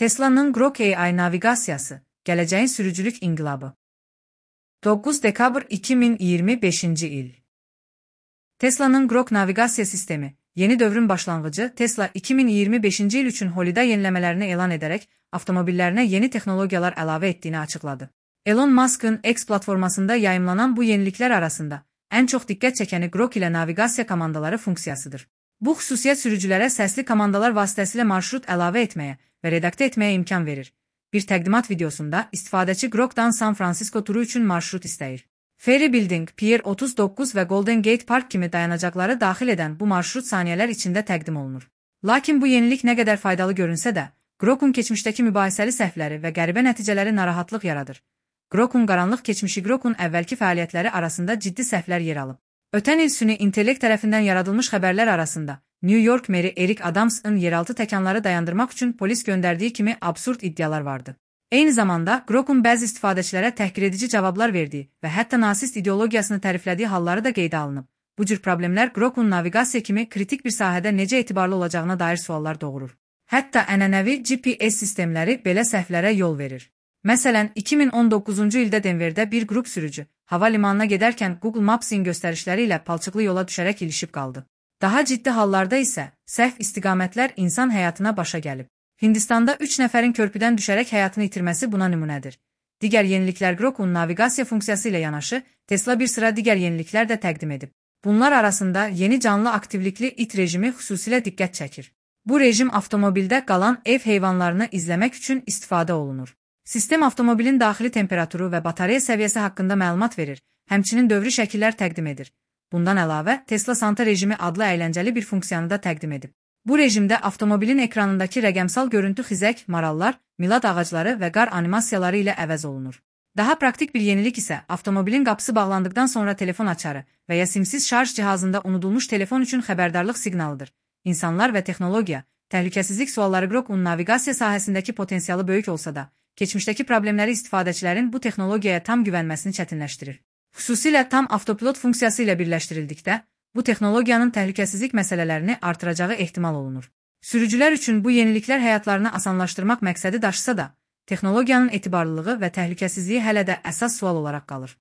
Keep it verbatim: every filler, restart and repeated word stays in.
Tesla'nın Grok A I navigasiyası, gələcəyin sürücülük inqilabı. doqquz dekabr iki min iyirmi beşinci il. Tesla'nın Grok naviqasiya sistemi, yeni dövrün başlanğıcı. Tesla iki min iyirmi beşinci il üçün Holiday yeniləmələrini elan edərək avtomobillərinə yeni texnologiyalar əlavə etdiyini açıqladı. Elon Musk'ın X platformasında yayımlanan bu yeniliklər arasında ən çox diqqət çəkəni Grok ilə naviqasiya komandaları funksiyasıdır. Bu xüsusiyyət sürücülərə səsli komandalar vasitəsilə marşrut əlavə etməyə və redaktə etməyə imkan verir. Bir təqdimat videosunda istifadəçi Grokdan San Francisco turu üçün marşrut istəyir. Ferry Building, Pier otuz doqquz və Golden Gate Park kimi dayanacaqları daxil edən bu marşrut saniyələr içində təqdim olunur. Lakin bu yenilik nə qədər faydalı görünsə də, Grokun keçmişdəki mübahisəli səhvləri və qəribə nəticələri narahatlıq yaradır. Grokun qaranlıq keçmişi Grokun əvvəlki fəaliyyətləri arasında ciddi səhvlər yer alıb. Ötən il süni intellekt tərəfindən yaradılmış xəbərlər arasında New York meri Eric Adams'ın yeraltı təkanları dayandırmaq üçün polis göndərdiyi kimi absurd iddialar vardı. Eyni zamanda Grokun bəzi istifadəçilərə təhqiredici cavablar verdiyi və hətta nasist ideologiyasını təriflədiyi halları da qeydə alınıb. Bu cür problemlər Grokun naviqasiya kimi kritik bir sahədə necə etibarlı olacağına dair suallar doğurur. Hətta ənənəvi G P S sistemləri belə səhvlərə yol verir. Məsələn, iki min on doqquzuncu ildə Denverdə bir qrup sürücü hava limanına gedərkən Google Maps'in göstərişləri ilə palçıqlı yola düşərək ilişib qaldı. Daha ciddi hallarda isə səhv istiqamətlər insan həyatına başa gəlib. Hindistanda üç nəfərin körpüdən düşərək həyatını itirməsi buna nümunədir. Digər yeniliklər Grokun naviqasiya funksiyası ilə yanaşı, Tesla bir sıra digər yeniliklər də təqdim edib. Bunlar arasında yeni canlı aktivlikli it rejimi xüsusilə diqqət çəkir. Bu rejim avtomobildə qalan ev heyvanlarını izləmək üçün istifadə olunur. Sistem avtomobilin daxili temperaturu və batareya səviyyəsi haqqında məlumat verir, həmçinin dövrü şəkillər təqdim edir. Bundan əlavə, Tesla Santa rejimi adlı əyləncəli bir funksiyanı da təqdim edib. Bu rejimdə avtomobilin ekranındakı rəqəmsal görüntü xizək, marallar, milad ağacları və qar animasiyaları ilə əvəz olunur. Daha praktik bir yenilik isə avtomobilin qapısı bağlandıqdan sonra telefon açarı və ya simsiz şarj cihazında unudulmuş telefon üçün xəbərdarlıq siqnalıdır. İnsanlar və texnologiya, təhlükəsizlik sualları Grokun naviqasiya sahəsindəki potensialı böyük olsa da, keçmişdəki problemləri istifadəçilərin bu texnologiyaya tam güvənməsini çətinləşdirir. Xüsusilə tam avtopilot funksiyası ilə birləşdirildikdə, bu texnologiyanın təhlükəsizlik məsələlərini artıracağı ehtimal olunur. Sürücülər üçün bu yeniliklər həyatlarını asanlaşdırmaq məqsədi daşısa da, texnologiyanın etibarlılığı və təhlükəsizliyi hələ də əsas sual olaraq qalır.